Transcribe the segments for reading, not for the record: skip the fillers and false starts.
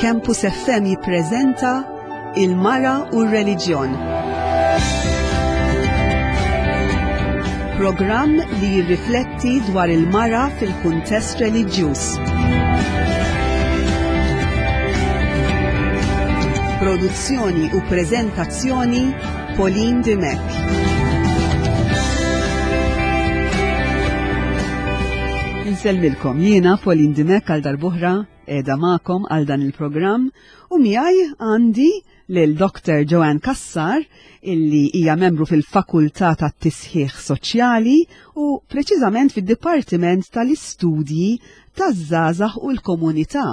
Campus FM jippreżenta Il-Mara u r-Reliġjon. Programm li jirrifletti dwar il-mara fil-kuntest reliġjuż. Produzzjoni u preżentazzjoni Pauline Dimech. Insellmilkom jiena Pauline Dimech għal darbuħra qiegħda magħkom għal dan il-programm u miegħi għandi lil Dr. Joanne Kassar illi hija membru fil-Fakultà tat-Tisħiħ Soċjali u preċiżament fid-Dipartiment tal-Istudji taż-Żgħażagħ u l-Komunità.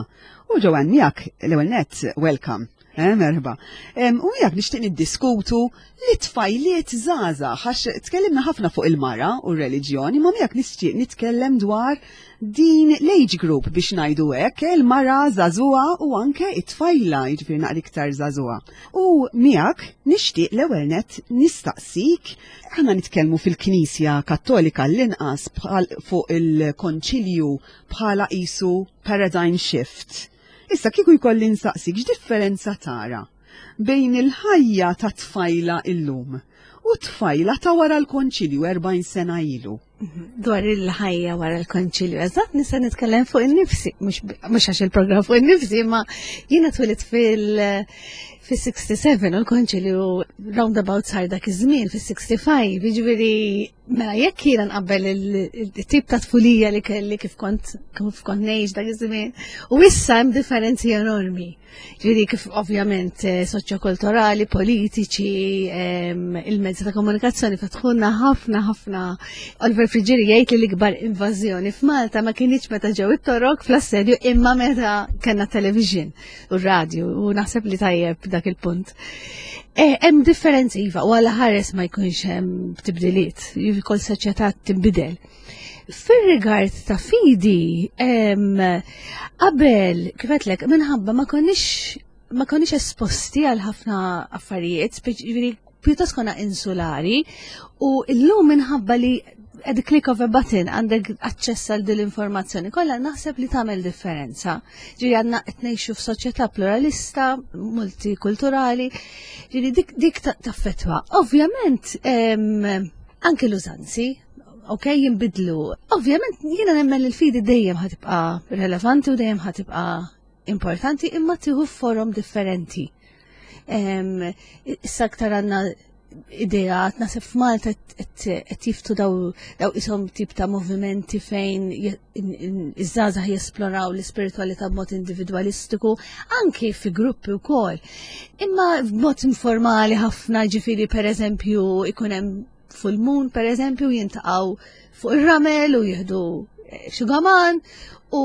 U Joanne miegħek l-ewwel nett welcome. Eh, merħba. U miegħek nixtieq niddiskutu li tfajliet żgħażagħ għax tkellimna ħafna fuq il-mara u r-reliġjoni, ma miegħek nixtieq nitkellem dwar din l-age group biex ngħidu hekk, il-mara żagħżugħa u anke it-tfajla, jiġifieri naqra iktar żagħżugħa. U miegħek nixtieq l-ewwel nett nistaqsik, aħna nitkellmu fil-Knisja Kattolika l-inqas fuq il-Konċilju bħala qisu paradigm shift. Issa kieku jkolli nsaqsik x'differenza tara bejn il-ħajja ta' tfajla illum u tfajla ta' wara l-konċilju 40 sena ilu. Dwar il-ħajja wara l-konċilju, eżatt nista' nitkellem fuq in-nifsi, mhux għax il-programm fuq in-nifsi, ma jiena twilit fil- fis-67 u l-konċilju roundabout sar dak iż-żmien fis-65, jiġifieri Mela jekk jiena nqabbel il-tip ta' tfulija li kelli kif kont kif kont ngħix dak iż-żmien, u issa hemm differenzi enormi. Ġifieri kif ovvjament eh, soċjokulturali, politiċi, ehm, il-mezzi ta' komunikazzjoni fetħulna ħafna ħafna. Oliver Friggieri jgħid li l-ikbar invażjoni f'Malta ma kienx meta ġew it-torok fl-assedju imma meta kellna television u r-radju u naħseb li tajjeb dak il-punt. Eh, hemm differenzi iva u għala ħares ma jkunx hemm tibdiliet, kol soċjetà tinbidel. Fir-rigard ta' fidi, qabel kif għedtlek minħabba ma konniex ma konniex esposti għal ħafna affarijiet, ġifieri pjuttost konna insulari u llum minħabba li at the click of a button għandek aċċess għal din l-informazzjoni kollha naħseb li tagħmel differenza. Ġifieri għandna qed ngħixu f'soċjetà pluralista, multikulturali, ġifieri dik, dik taffettwa. Ovvjament anke l-użanzi, ok, jinbidlu. Ovvjament jiena nemmen li l-fidi dejjem ħatibqa' relevanti u dejjem ħatibqa' importanti imma tieħu forom differenti. Issa aktar għandna ideat, nasib f'Malta qed jiftu daw daw isom tip ta' movimenti fejn iż-żgħażagħ jesploraw l-ispiritualità b'mod individwalistiku, anki fi gruppi wkoll. Imma b'mod informali ħafna ġifieri pereżempju ikun hemm full moon pereżempju jintaqgħu fuq ir-ramel u jieħdu eh, xugaman u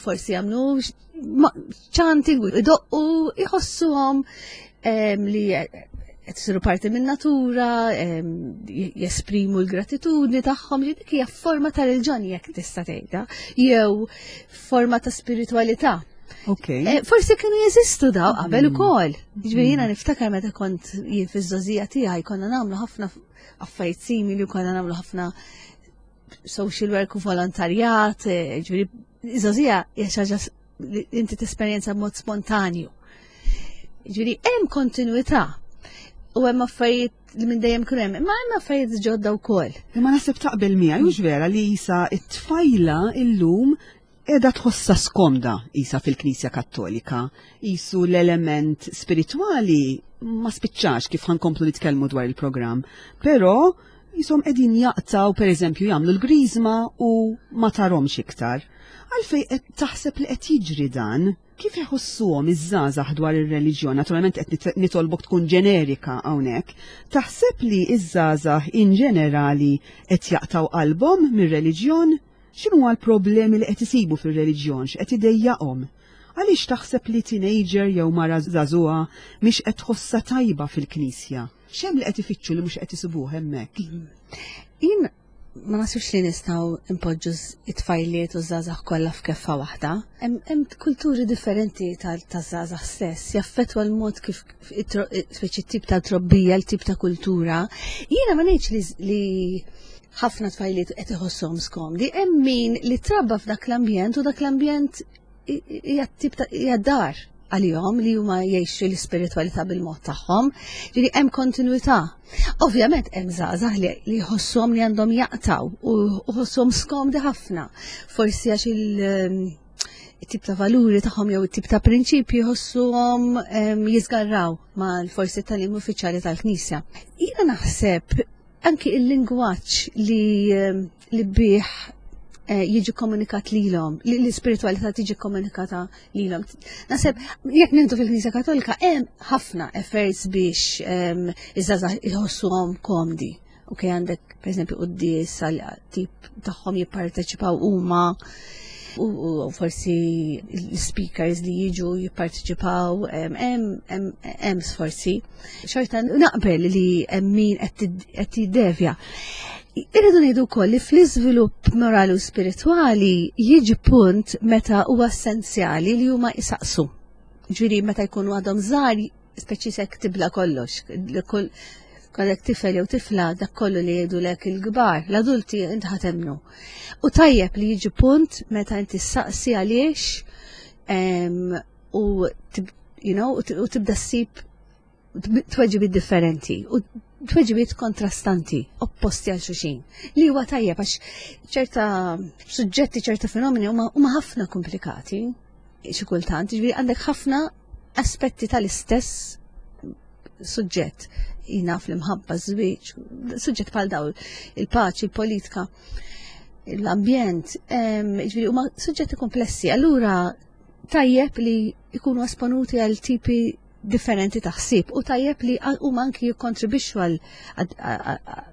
forsi jagħmlu chanting u idoqqu jħossuhom li qed isiru parti minn natura, jesprimu l-gratitudni tagħhom li dik hija forma ta' reliġjon jekk tista' tgħidha, jew forma ta' spiritualità. Okay. Eh, forsi kienu jeżistu daw qabel mm. ukoll. Ġifieri jiena mm. niftakar meta kont jien fiż-żożija tiegħi konna nagħmlu ħafna affarijiet simili u konna nagħmlu ħafna social work u volontarjat, eh, ġifieri iż-żożija hija xi ħaġa li inti tesperjenza b'mod spontanju. Ġifieri hemm kontinwità u hemm affarijiet li minn dejjem kienu hemm, imma hemm affarijiet ġodda wkoll. Imma naħseb taqbel miegħi hux vera li isa t-tfajla illum qiegħda tħossha skomda isa fil-Knisja Kattolika, isu l-element spiritwali ma spiċċax kif ħankomplu nitkellmu dwar il-programm, però jisom qegħdin jaqtaw pereżempju jagħmlu l-griżma u ma tarhomx iktar. Għalfej qed taħseb li qed jiġri dan? Kif iħossuhom iż-żgħażagħ dwar ir-reliġjon? Naturalment qed nitolbok tkun ġenerika hawnhekk. Taħseb li ż-żgħażagħ in ġenerali qed jaqtgħu qalbhom mir-reliġjon? X'inhuma l-problemi li qed isibu fir-reliġjon, x'qed idejjaqhom? Għaliex taħseb li teenager jew mara żagħżugħa mhix qed tħossha tajba fil-knisja? X'hemm li qed ifittxu li mhux qed isibuh hemmhekk? Jien ma nasibx li nistgħu npoġġu it-tfajliet u żgħażagħ kollha f'keffa waħda. Hemm kulturi differenti taż-żgħażagħ stess, jaffettwa l-mod kif speċi tip ta' trobbija, l-tip ta' kultura. Jiena ma ngħidx li ħafna tfajliet qed iħossuhom skomdi, hemm min li trabba f'dak l-ambjent u dak l-ambjent hija tip ta' hija dar għalihom li huma jgħixu l-ispiritwalità bil-mod tagħhom, ġifieri hemm kontinwità. Ovvjament hemm żgħażagħ li jħossuhom li għandhom jaqtaw u jħossuhom skomdi ħafna. Forsi għax il- tip ta' valuri tagħhom jew it-tip ta' prinċipji jħossuhom jiżgarraw ma' forsi tal-im uffiċjali tal-Knisja. Jiena naħseb anki il-lingwaġġ li bih jiġi komunikat lilhom, li l-ispiritualità tiġi komunikata lilhom. Naħseb jekk nintu fil-Knisja Katolika hemm ħafna efforts biex iż-żgħażagħ jħossuhom komdi. Ok, għandek pereżempju quddies għal tip tagħhom jipparteċipaw huma u forsi l-speakers li jiġu jipparteċipaw hemm sforzi. Xorta naqbel li hemm min qed jiddevja. Irridu ngħidu wkoll li fl-iżvilupp morali u spiritwali jiġi punt meta huwa essenzjali li huma jisaqsu. Ġifieri meta jkunu għadhom żgħar, speċi sekk tibla kollox, kull kollek tifel jew tifla dak kollu li jgħidulek il-kbar, l-adulti int ħatemnu. U tajjeb li jiġi punt meta inti saqsi għaliex u you know, u tibda ssib tweġibiet differenti u tweġibiet kontrastanti, opposti għal xulxin. Li huwa tajjeb għax ċerta suġġetti, ċerta fenomeni huma ħafna komplikati xi kultant, ġifieri għandek ħafna aspetti tal-istess suġġett. Jina fl-imħabba, żwieġ, suġġett bħal dawl, il-paċi, il-politika, l-ambjent, ġifieri huma suġġetti komplessi. Allura tajjeb li jkunu esponuti għal tipi differenti ta' ħsieb u tajjeb li huma anki jikkontribwixxu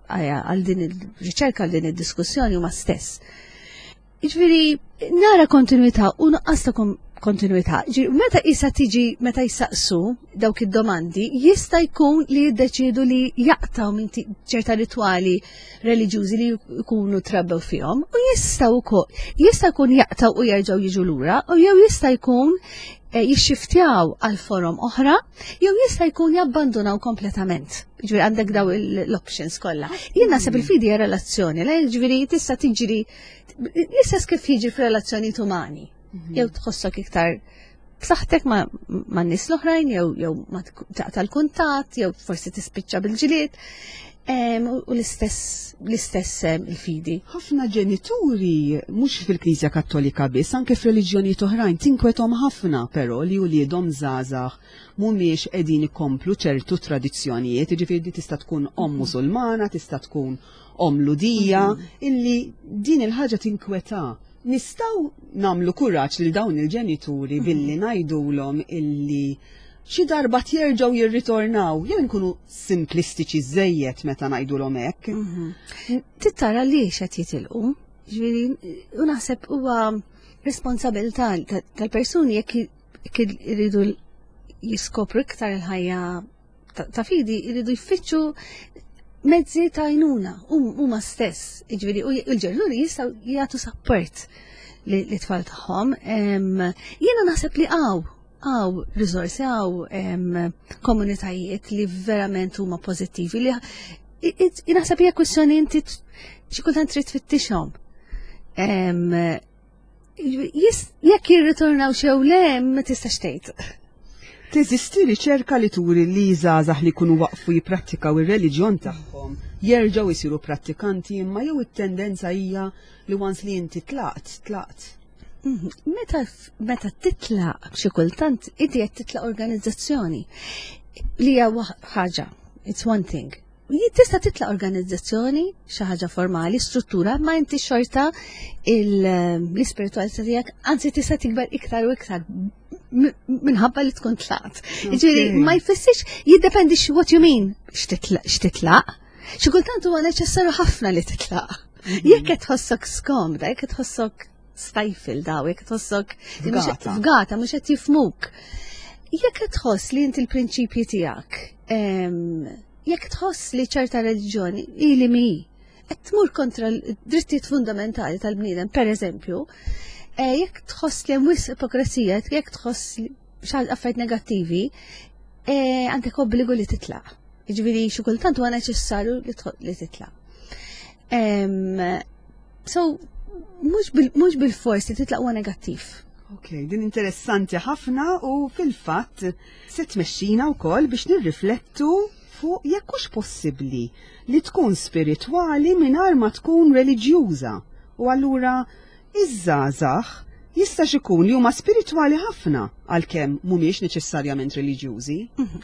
għal din il-riċerka, għal din id-diskussjoni huma stess. Jiġifieri nara kontinuità u nuqqas ta' kontinuità. Ġifieri meta isa tiġi meta jisaqsu dawk id-domandi, jista' jkun li jiddeċiedu li jaqtaw minn ċerta ritwali reliġjużi li jkunu trabbew fihom u jista' wkoll jista' jkun jaqtaw u jerġgħu jiġu lura u jew jista' jkun jixxiftjaw għal forom oħra jew jista' jkun jabbandunaw kompletament. Ġifieri għandek daw l-options kollha. Jien naħseb il-fidi hija relazzjoni, la ġifieri tista' tiġri l-istess kif jiġri f'relazzjonijiet umani. Jew tħossok iktar b'saħħtek ma' nies l-oħrajn jew jew ma taqta' l-kuntatt jew forsi tispiċċa bil-ġlied. U l-istess l-istess il-fidi. Ħafna ġenituri mhux fil-Knisja Kattolika biss, anke f'reliġjonijiet oħrajn tinkwethom ħafna però li uliedhom żgħażagħ mhumiex qegħdin ikomplu ċertu tradizzjonijiet, jiġifieri di tista' tkun omm Musulmana, tista' tkun omm Lhudija, illi din il-ħaġa tinkweta. Nistgħu nagħmlu kuraġġ lil dawn il-ġenituri billi ngħidulhom illi xi darba jerġgħu jirritornaw, jew inkunu simplistiċi żejjed meta ngħidulhom hekk. Tittara li qed jitilqu, ġifieri u naħseb huwa responsabilità tal-persuni jekk iridu jiskopru iktar il-ħajja ta' fidi, iridu jfittxu mezzi ta' għajnuna huma stess, jiġifieri u l-ġenituri jistgħu jagħtu support li tfal tagħhom. Jiena naħseb li hawn risorsi, hawn komunitajiet li verament huma pożittivi li naħseb hija kwistjoni inti xi kultant trid tfittixhom. Jekk jirritornaw xew le, ma tistax tgħid. Teżisti riċerka li turi li żgħażagħ li jkunu waqfu jipprattikaw ir-reliġjon tagħhom jerġgħu jsiru prattikanti imma jew it-tendenza hija li once li inti tlaqt, tlaqt. Meta titlaq xi kultant inti qed titlaq organizzazzjoni li hija ħaġa, it's one thing. Tista' titlaq organizzazzjoni, xi ħaġa formali, struttura, ma inti xorta l-ispiritualità tiegħek anzi tista' tikber iktar u iktar minħabba li tkun tlaqt. Ġifieri ma jfissirx jiddependi what you mean x'titlaq. Xi kultant huwa neċessarju ħafna li titlaq. Jekk qed tħossok skomda, jekk qed tħossok stifled daw, jekk tħossok fgata, mhux qed jifhmuk. Jekk qed tħoss li inti l-prinċipji tiegħek, jekk tħoss li ċerta reliġjoni ili mi qed tmur kontra l-drittijiet fundamentali tal-bniedem, per eżempju, jekk tħoss li hemm wisq ipokresija, jekk tħoss li xi affarijiet negattivi, għandek obbligu li titlaq. Jiġifieri xi kultant huwa neċessarju li titlaq. So, mhux bil-fors li titlaq huwa negattiv. Ok, din interessanti ħafna u fil-fatt se tmexxina wkoll biex nirriflettu fuq jekk hux possibbli li tkun spiritwali mingħajr ma tkun reliġjuża. U allura iż-żgħażagħ jistax ikun li huma spiritwali ħafna għalkemm mhumiex neċessarjament reliġjużi.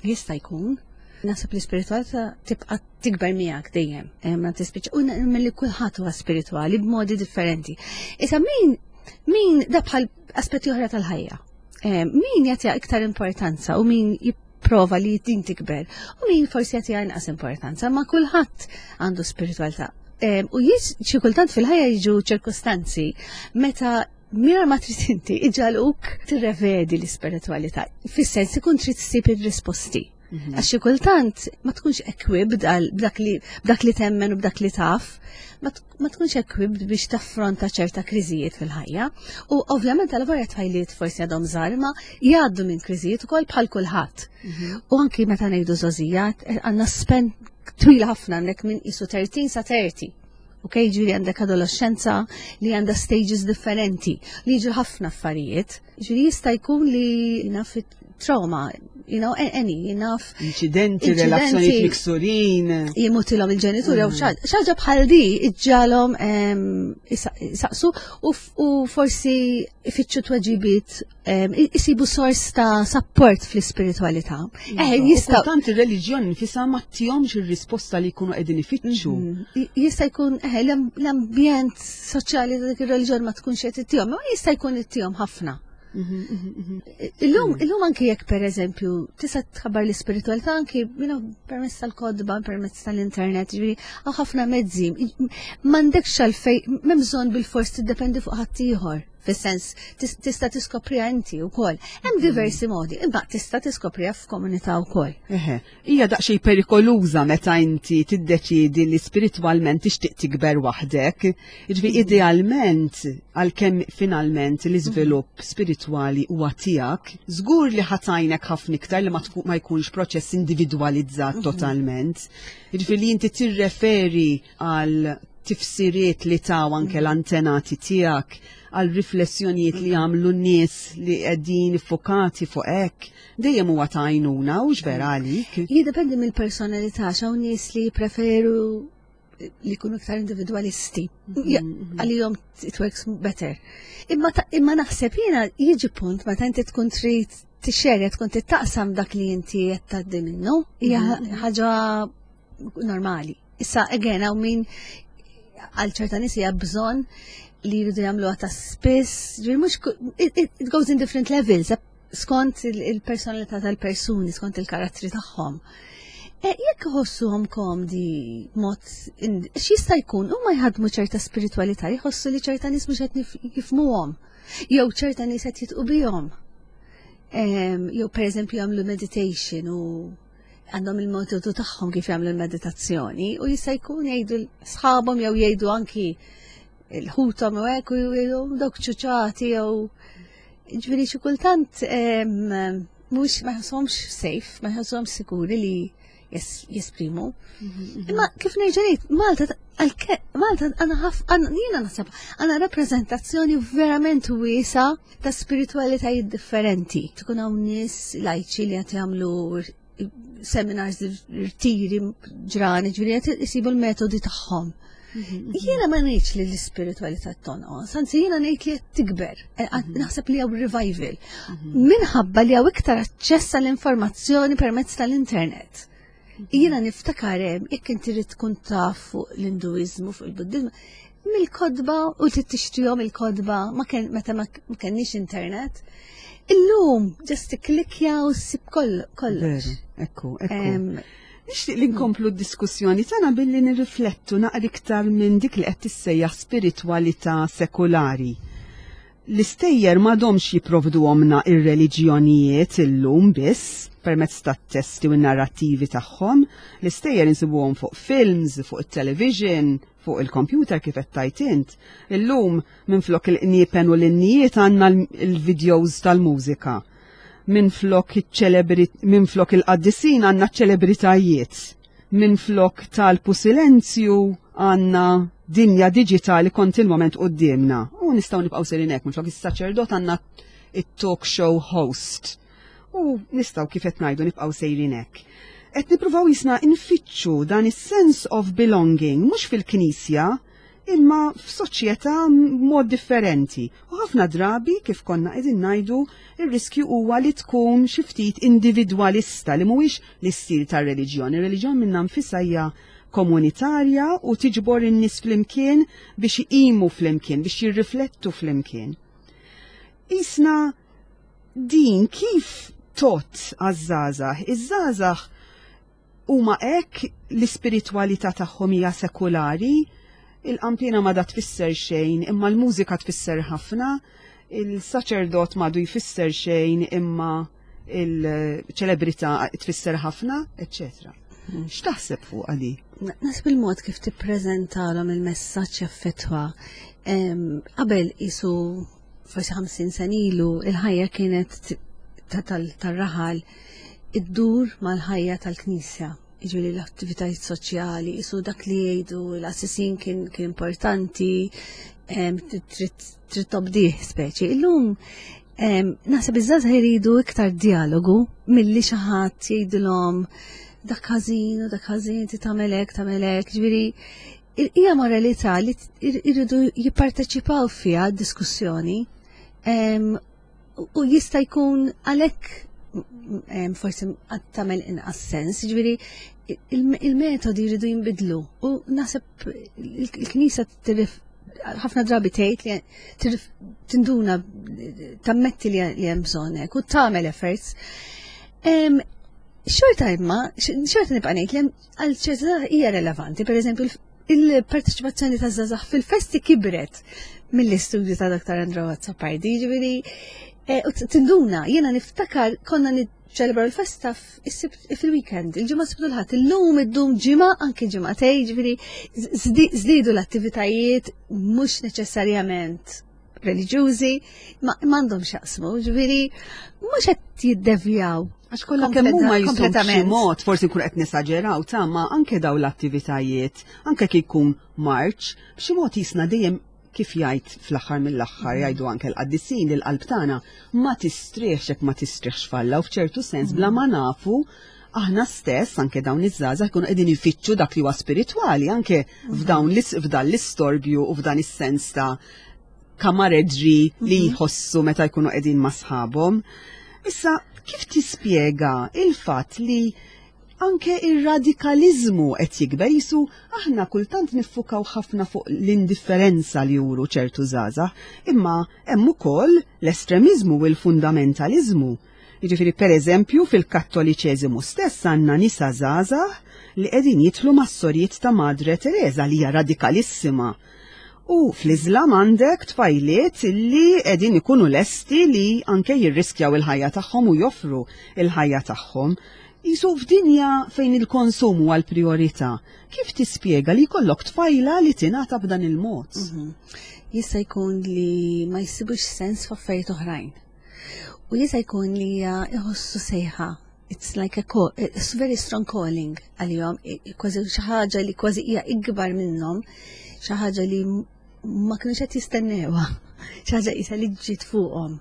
Jista' jkun. Naħseb li spiritualità tibqa' tikber miegħek dejjem, eh, ma tispiċċa u milli kulħadd huwa spiritwali b'modi differenti. Issa min da bħal aspetti oħra tal-ħajja. Eh, min jagħtiha iktar importanza u min jipprova li din tikber u min forsi jagħtiha inqas importanza, ma kulħadd għandu spiritualità. Eh, u xi kultant fil-ħajja jiġu ċirkustanzi meta mira ma trid inti iġaluk tirrevedi l-ispiritualità. Fis-sens ikun trid ssib ir-risposti. Għax xi kultant ma tkunx equipped għal b'dak li temmen u b'dak li taf, ma tkunx equipped biex taffronta ċerta kriżijiet fil-ħajja. U ovvjament għal vorja tfajliet forsi għadhom żgħar ma jgħaddu minn kriżijiet ukoll bħal kulħadd. U anki meta ngħidu żgħożijat, eh, għandna span twila ħafna għandek minn isu 13 sa 30. Ok, ġifieri għandek adolescenza li għandha stages differenti, li jiġu ħafna affarijiet. Ġifieri jista' jkun li naf trauma, any, naf. Incidenti, relazzjonijiet miksurin. Jimutilhom il-ġenituri jew xaġa bħal di iġġalhom isaqsu u forsi ifittxu tweġibiet isibu sors ta' support fl-ispiritualità. Eh, jista' Tant ir-reliġjon nfisha ma tihomx ir-risposta li jkunu qegħdin ifittxu. Jista' jkun eh, l-ambjent soċjali ta' dik ir-reliġjon ma tkunx qed ittihom, ma jista' jkun ittihom ħafna. Illum anki jekk per eżempju tista' tħabbar l-ispiritualità anki permezz tal-kotba, permezz tal-internet, ġifieri hawn ħafna mezzi. M'għandekx għalfejn m'hemm bżonn bil-fors tiddependi fuq ħaddieħor. Fis-sens tista' tiskopriha inti wkoll. Hemm diversi modi, imma tista' tiskopriha f'komunità wkoll. Eħe, hija daqsxejn perikoluża meta inti tiddeċiedi li spiritwalment tixtieq tikber waħdek. Jiġifieri idealment għalkemm finalment l-iżvilupp spiritwali huwa tiegħek, żgur li ħa tgħinek ħafna iktar li ma jkunx proċess individwalizzat totalment. Jiġifieri li inti tirreferi għal tifsiriet li taw anke l-antenati tiegħek, għal riflessjonijiet li għamlu n-nies li qegħdin iffokati fuq hekk, dejjem huwa ta' għajnuna u vera għalik. Jiddependi mill-personalità, x'hawn nies li preferu li jkunu iktar individualisti. Għalihom it works better. Imma naħseb jiena jiġi punt meta inti tkun trid tixxerja, tkun taqsam dak li inti qed tgħaddi minnu, hija ħaġa normali. Issa, again, hawn min għal ċerta nies hija bżonn li jridu jagħmluha ta' spiss, ġifieri mhux it goes in different levels, skont il-personalità tal-persuni, skont il-karattri tagħhom. E, jekk iħossuhom komdi mod x'jista' jkun huma jħadmu ċerta spiritualità, jħossu li ċerta nies mhux qed jifhmuhom, jew ċerta nies qed jidħqu bihom. Jew pereżempju jagħmlu meditation u għandhom il-metodu tagħhom kif jagħmlu l-meditazzjoni u jista' jkun jgħidu sħabhom jew jgħidu anki l-ħuthom u hekk u jgħidu dawk ċuċati jew ġifieri xi kultant mhux ma jħosshomx safe, ma jħosshomx sikuri li jesprimu. Imma kif nerġa' ngħid, Malta għandna ħaf jiena naħseb għandna rappreżentazzjoni verament wiesa ta' spiritualitajiet differenti. Tkun hawn nies lajċi li qed jagħmlu seminars, rtiri, ġrani, ġifieri qed isibu l-metodi tagħhom. Jiena ma ngħidx li l-ispiritualità tonqos, anzi jiena ngħid li qed tikber, eh, naħseb li hawn revival. Minħabba li hawn iktar aċċess għall-informazzjoni permezz tal-internet. Jiena niftakar hemm jekk inti trid tkun taf fuq l-Induiżmu, fuq il-Buddizmu, mill-kotba u trid tixtrihom il-kotba ma kien meta ma kenniex internet. Illum just tikklikja u ssib kollox. Veru, ekku. Nixtieq li nkomplu d-diskussjoni tagħna billi nirriflettu naqra iktar minn dik li qed tissejjaħ spiritwalità sekulari. L-istejjer m'għadhomx jipprovduhomna ir-reliġjonijiet illum biss permezz tat-testi u n-narrattivi tagħhom. L-istejjer insibuhom fuq films, fuq it-television, fuq il-computer kif qed tajt int. Illum minflok il-qniepen u l-innijiet għandna l-videos tal-mużika. Minflok il-qaddisin għandna ċ-ċelebritajiet. Minflok talb u silenzju għandna dinja diġitali kontinwament quddiemna. U nistgħu nibqgħu sejrin hekk, minflok is-saċerdot għandna it-talk show host. U nistgħu kif qed ngħidu nibqgħu sejrin hekk. Qed nippruvaw jisna nfittxu dan is-sense of belonging mhux fil-knisja imma f'soċjetà mod differenti. U ħafna drabi, kif konna qegħdin ngħidu, ir-riskju huwa li tkun xi ftit individwalista li mhuwiex l-istil tar-reliġjon. Ir-reliġjon minnha nfisha hija komunitarja u tiġbor in-nies flimkien biex iqimu flimkien, biex jirriflettu flimkien. Isna din kif tot għaż-żgħażagħ? Iż-żgħażagħ huma hekk l-ispiritwalità tagħhom hija sekulari, il-qanpiena m'għadha tfisser xejn imma l-mużika tfisser ħafna, il-saċerdot m'għadu jfisser xejn imma il-ċelebrità tfisser ħafna, eċċetera. X'taħseb fuq għali? Naħseb il-mod kif tippreżentalhom il-messaġġ jaffettwa. Qabel isu forsi 50 sen ilu il-ħajja kienet tal-raħal iddur mal-ħajja tal-Knisja, jiġifieri l-attivitajiet soċjali, isu dak li jgħidu l-assisin kien, kien importanti, trid tobdih speċi. Illum naħseb iż-żgħażagħ jridu iktar dialogu milli xi ħadd jgħidilhom dak ħażin u dak ħażin ti tagħmel hekk tagħmel hekk, ġifieri hija moralità li jridu jipparteċipaw fiha d-diskussjoni u jista' jkun għalhekk forsi għad tagħmel inqas sens, ġifieri il-metodi jridu jinbidlu u naħseb il-Knisja ħafna drabi tgħid li tinduna tammetti li hemm bżonn hekk u tagħmel efforts. Xorta imma, xorta nibqa' ngħid li għal ċerta hija relevanti, pereżempju il-parteċipazzjoni ta' żgħażagħ fil-festi kibret mill-istudju ta' Dr. Andrew Azzopardi, ġifieri eh, tinduna, jiena niftakar konna niċċelebraw il-festa fil-weekend, il-ġimgħa sibtu l-ħadd, illum iddum ġimgħa anke ġimgħatej, ġifieri żdiedu l-attivitajiet mhux neċessarjament reliġjużi ma m'għandhom x'jaqsmu, ġifieri mhux qed jiddevjaw. Għax kollha kemm huma kompletament mod, forsi nkun qed nesaġeraw ta' ma anke daw l-attivitajiet, anke kif jkun marċ, b'xi mod jisna dejjem kif jgħid fl-aħħar mill-aħħar mm. jgħidu anke l-qaddisin li l-qalb tagħna ma tistrieħx jekk ma tistrieħx falla u f'ċertu sens bla ma nafu aħna stess anke dawn iż-żgħażagħ jkunu qegħdin ifittxu dak li huwa spiritwali anke mm. f'dawn f'dan l-istorbju u f'dan is-sens ta' kamareġġi li mhm. jħossu meta jkunu qegħdin ma' sħabhom. Issa, kif tispjega il-fatt li anke ir-radikaliżmu qed jikber jisu aħna kultant niffukaw ħafna fuq l-indifferenza li juru ċertu żgħażagħ, imma hemm ukoll l-estremiżmu u l-fundamentaliżmu. Jiġifieri pereżempju fil-Kattoliċeżimu stess għandna nisa żgħażagħ li qegħdin jidħlu mas-sorijiet ta' Madre Teresa li hija radikalissima. U fl-Iżlam għandek tfajliet li qegħdin ikunu lesti li anke jirriskjaw il-ħajja tagħhom u joffru il-ħajja tagħhom. Jisu f'dinja fejn il-konsum huwa l-priorità, kif tispjega li jkollok tfajla li tingħata b'dan il-mod? Mhm. Jista' jkun li ma jsibux sens f'affarijiet oħrajn. U jista' jkun li jħossu sejħa. It's like a call, it's very strong calling għalihom, kważi xi ħaġa li kważi hija ikbar minnhom, xi ħaġa li ma kienux qed jistennewha, xi ħaġa qisha li ġiet fuqhom.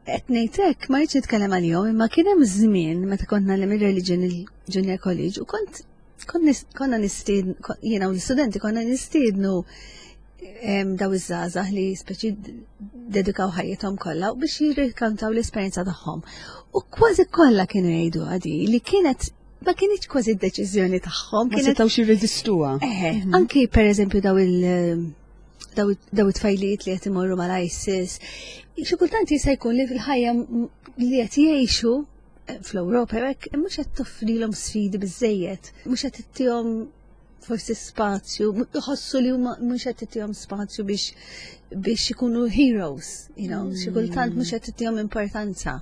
Qed ngħid hekk ma rridx nitkellem għalihom, imma kien hemm żmien meta kont nagħlem ir-religion il-Junior College u kont konna nistiednu, jiena u l-istudenti konna nistiednu daw iż-żgħażagħ li speċi dedikaw ħajjithom kollha u biex jirrikantaw l-esperjenza tagħhom. U kważi kollha kienu jgħidu għadi li kienet ma kienx kważi d-deċiżjoni tagħhom. Ma setgħux jirreżistuha. Eħe, mhm. anki pereżempju daw il- daw it-tfajliet li qed imorru mal-ISIS. Xi kultant jista' jkun li fil-ħajja li qed jgħixu eh, fl-Ewropa hekk mhux qed toffrilhom sfidi biżejjed, mhux qed ittihom forsi spazju, iħossu li huma mhux qed titihom spazju biex biex ikunu heroes, you know, xi kultant mhux qed titihom importanza.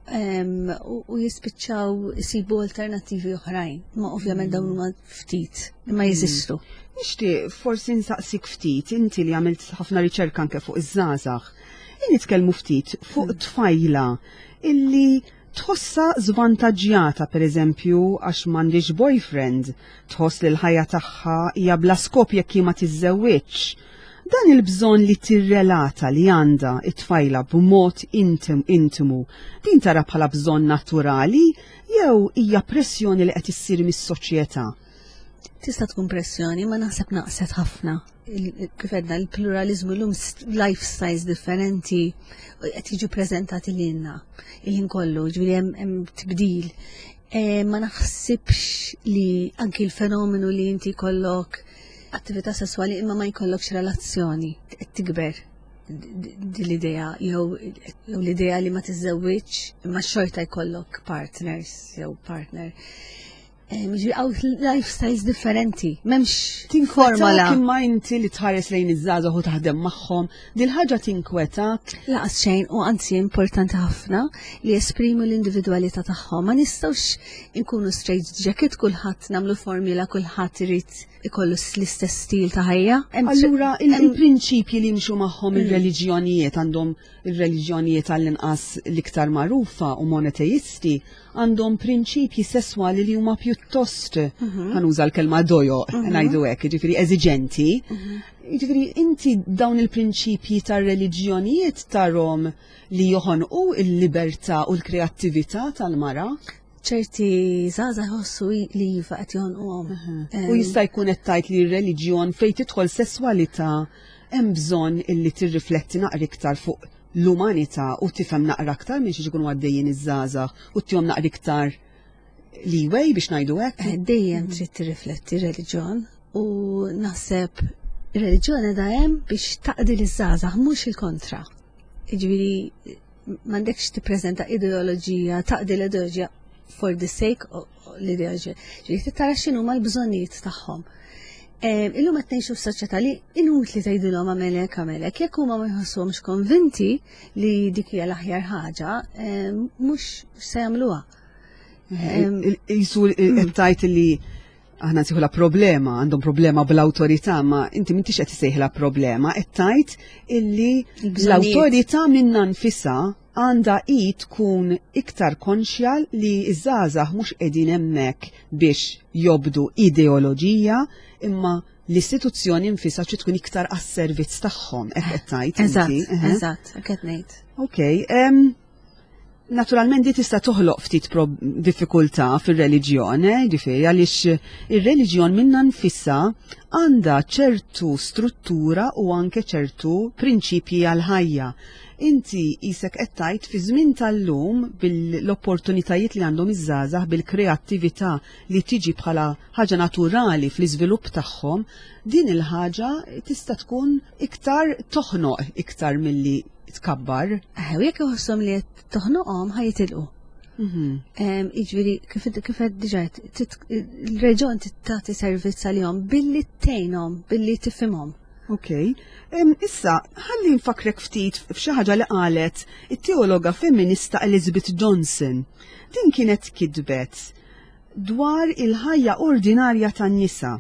U jispiċċaw isibu alternattivi oħrajn, ma ovvjament dawn huma ftit, imma mm. jeżistu. Nixtieq forsi nsaqsik ftit, inti li għamilt ħafna riċerka anke fuq iż-żgħażagħ. Nitkellmu ftit fuq mm. tfajla illi Tħossha żvantaġġjata pereżempju għax m'għandhiex boyfriend, tħoss li l-ħajja tagħha hija bla skop jekk hi ma tiżżewwiġx. Dan il-bżonn li tirrelata li għandha t-tfajla b'mod intimu, din tara bħala bżonn naturali jew hija pressjoni li qed issir mis-soċjetà? Tista' tkun pressjoni, ma naħseb naqset ħafna. Kif għedna l-pluralizmu l-lum lifestyles differenti qed jiġu preżentati lilna il-ħin kollu, ġifieri hemm tibdil. E, ma naħsibx li anki l-fenomenu li inti jkollok attività sesswali imma ma jkollokx relazzjoni qed tikber din l-idea jew l-idea li ma tiżżewwiġx imma xorta jkollok partners jew partner. Ġifieri għaw lifestyles differenti, memx formola. Imma inti li tħares lejn iż-żgħażagħ u taħdem magħhom, dil ħaġa tinkwetak? Laqas xejn u anzi importanti ħafna li jesprimu l-individwalità tagħhom. Ma nistgħux inkunu straight jacket kulħadd nagħmlu formula kulħadd irid ikollu l-istess stil ta' ħajja. Allura il-prinċipji li jimxu magħhom mm. ir-reliġjonijiet għandhom ir-reliġjonijiet għall-inqas l-iktar magħrufa u monoteisti għandhom prinċipji sesswali li huma pjuttost mhm. ħanuża l-kelma dojo mhm. ngħidu hekk, jiġifieri eżiġenti. Mhm. Jiġifieri inti dawn il-prinċipji tar-reliġjonijiet tarhom li joħonqu il-libertà u l-kreattività tal-mara? ċerti żgħażagħ jħossu li iva qed jonquhom. U jista' jkun qed tgħid li r-reliġjon fejn tidħol sesswalità hemm bżonn illi tirrifletti naqra iktar fuq l-umanità u tifhem naqra aktar minn xi jkunu għaddejjin iż-żgħażagħ u tihom naqra iktar leeway biex ngħidu hekk. Eh, dejjem trid tirrifletti reliġjon u naħseb ir-reliġjon qiegħda hemm biex taqdi liż-żgħażagħ mhux il-kontra. Jiġifieri m'għandekx tippreżenta ideoloġija, taqdi l-ideoloġija for the sake of l-ideoloġija. Ġifieri tara x'inhuma l-bżonnijiet tagħhom. Illum qed ngħixu f'soċjetà li inutli tgħidilhom għamel hekk għamel hekk, jekk huma ma jħossuhomx konvinti li dik hija l-aħjar ħaġa, mhux se jagħmluha. Jisu qed tgħid li aħna nsejħula problema, għandhom problema bl-awtorità, ma inti m'intix qed isejħla problema, qed tgħid illi l-awtorità minna nfisha għandha hi tkun iktar konxja li ż-żgħażagħ mhux qegħdin hemmhekk biex jobdu ideoloġija imma l-istituzzjoni nfisha trid tkun iktar għas-servizz tagħhom, hekk qed tgħid inti. Eżatt, eżatt, hekk qed ngħid. Okej, Naturalment di tista' toħloq ftit diffikultà fir-reliġjon, eh, ġifieri għaliex ir-reliġjon minna nfisha għandha ċertu struttura u anke ċertu prinċipji għall-ħajja. Inti isek qed tgħid fi żmien tal-lum bil-opportunitajiet li għandhom iż-żgħażagħ bil-kreattività li tiġi bħala ħaġa naturali fl-iżvilupp tagħhom, din il-ħaġa tista' tkun iktar toħnoq iktar milli tkabbar. Eh, u jekk iħosshom li qed toħnoqhom ħa jitilqu. Mhm. Jiġifieri kif kif qed diġà il-reġjon tagħti servizz għalihom billi tgħinhom, billi tifhimhom. Ok. Issa, ħalli nfakrek ftit f'xi ħaġa li qalet it-teologa femminista Elizabeth Johnson. Din kienet kitbet dwar il-ħajja ordinarja tan-nisa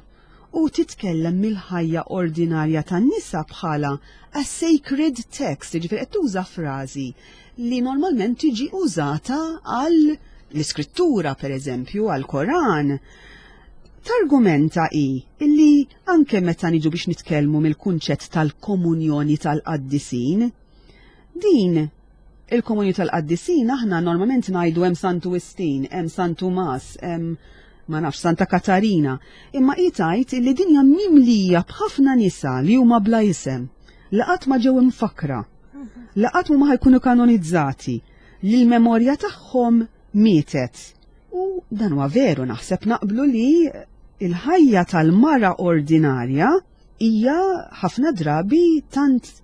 u titkellem mill-ħajja ordinarja tan-nisa bħala a sacred text, jiġifieri qed tuża frażi li normalment tiġi użata għal l-iskrittura pereżempju, għal Koran. Targumenta hi illi anke meta niġu biex nitkellmu mill-kunċett tal-komunjoni tal-qaddisin, din Il-komunju tal-qaddisin aħna normalment ngħidu hemm Santu Wistin, hemm San Tumas, hemm ma nafx Santa Katarina, imma hi tgħid li dinja mimlija b'ħafna nisa li huma bla isem, li qatt ma ġew imfakkra, li qatt ma ħajkunu kanonizzati, li l-memorja tagħhom mietet. U dan huwa veru naħseb naqblu li il-ħajja tal-mara ordinarja hija ħafna drabi tant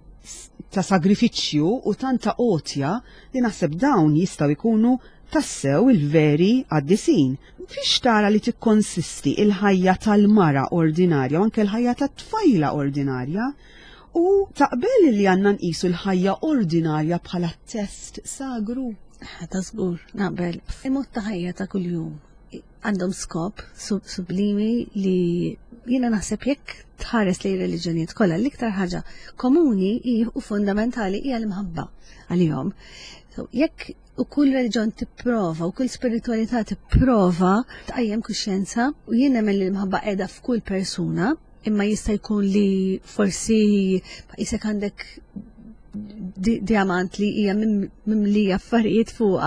ta' sagrifiċċju u tant ta' għotja li naħseb dawn jistgħu jkunu tassew il-veri qaddisin. Fiex tara li tikkonsisti il-ħajja tal-mara ordinarja u anke l-ħajja tat-tfajla ordinarja u taqbel li għandna nqisu l-ħajja ordinarja bħala test sagru? Ta' żgur, naqbel. Il-mod ta' ħajja ta' kuljum għandhom skop sublimi li jiena naħseb jekk tħares li reliġjonijiet kollha l-iktar ħaġa komuni u fundamentali hija l-imħabba għalihom. Jekk U kull reliġjon tipprova, u kull spiritualità tipprova tqajjem kuxjenza u jien nemmen li l-imħabba qiegħda f'kull persuna, imma jista' jkun li forsi jisek għandek diamant li hija mimlija affarijiet fuq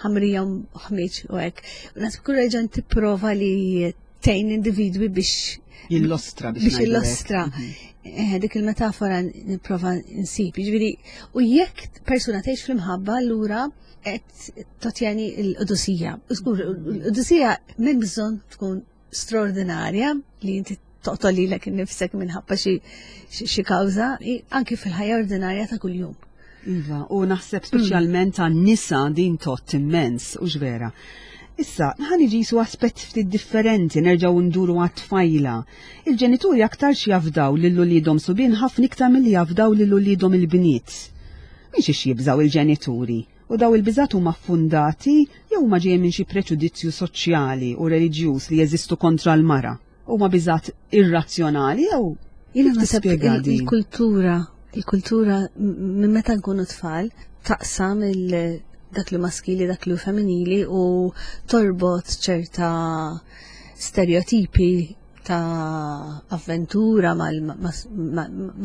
ħamrija u ħmiġ u hekk. Naħseb kull reliġjon tipprova li tgħin individwi biex jillostra biex jillostra. Eh, dik il-metafora nipprova nsib. Jiġifieri, u jekk persuna tgħix fl-imħabba allura qed totjeni l-qudusija. Żgur, l-qudusija m'hemm bżonn tkun straordinarja li inti toqtol lilek innifsek minħabba xi kawża, anki fil-ħajja ordinarja ta' kuljum. Iva, u naħseb speċjalment għan nisa din tot immens, u vera. Issa, ħan iġisu aspett ftit differenti, nerġgħu nduru għat-tfajla. Il-ġenituri aktarx jafdaw lil uliedhom subien ħafna iktar milli jafdaw lil uliedhom il-bniet. Minn xiex jibżaw il-ġenituri? U daw il-biżat huma fundati jew huma ġejjin minn xi preġudizzju soċjali u reliġjuż li jeżistu kontra l-mara? Huma biżat irrazzjonali jew Jiena naħseb il-kultura, il-kultura minn meta nkunu tfal taqsam il dak li maskili, dak li femminili u torbot ċerta stereotipi ta' avventura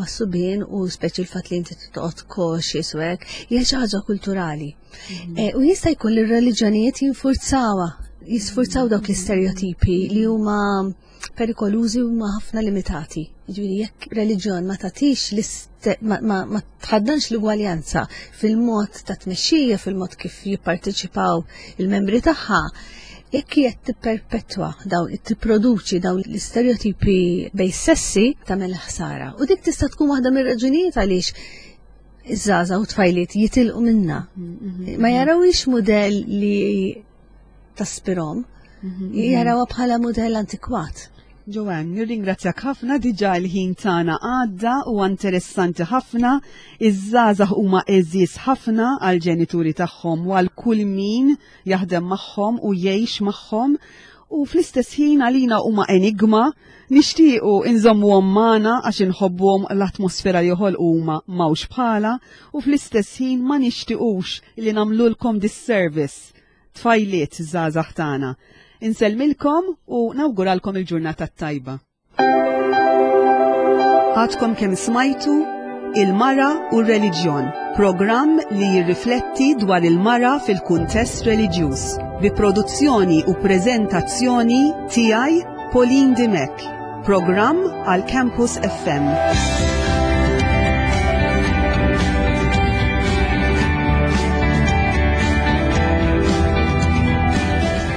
mas-subien u speċi l-fatt li inti toqgħod cautious u hekk, hija xi ħaġa kulturali. Eh, u jista' jkun li r-reliġjonijiet jinfurzawha, jisfurzaw dawk l-istereotipi li huma perikolużi huma ħafna limitati. Jiġifieri jekk reliġjon ma tagħtix ma tħaddanx l-ugwaljanza fil-mod ta' tmexxija, fil-mod kif jipparteċipaw il-membri tagħha, jekk qed tipperpetwa dawn tipproduċi dawn l-istereotipi bej sessi tagħmel ħsara. U dik tista' tkun waħda mir-raġunijiet għaliex iż-żgħażagħ u tfajliet jitilqu minna. Mm-hmm. Ma jarawix mudell li taspirom, mm-hmm. jarawha bħala mudell antikwat. Joanne, nirringrazzjak ħafna diġà l-ħin tagħna għadda u interessanti ħafna. Iż-żgħażagħ huma għeżież ħafna għal ġenituri tagħhom u għal kull min jaħdem magħhom u jgħix magħhom u fl-istess ħin għalina huma enigma, nixtiequ inżommuhom magħna għax inħobbuhom l-atmosfera li joħolqu huma m'hawnx bħala u fl-istess ħin ma nixtiequx li nagħmlulkom disservice tfajliet żgħażagħ tagħna. Insellmilkom u nawguralkom il-ġurnata t-tajba. Għadkom kemm smajtu Il-Mara u r-Reliġjon, programm li jirrifletti dwar il-mara fil-kuntest reliġjuż, bi produzzjoni u preżentazzjoni tiegħi Pauline Dimech, programm għal Campus FM.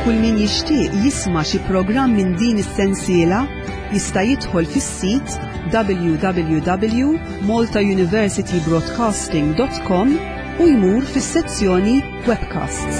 Kull min jixtieq jisma' xi programm minn din is-sensiela jista' jidħol fis-sit www.maltauniversitybroadcasting.com u jmur fis-sezzjoni Webcasts.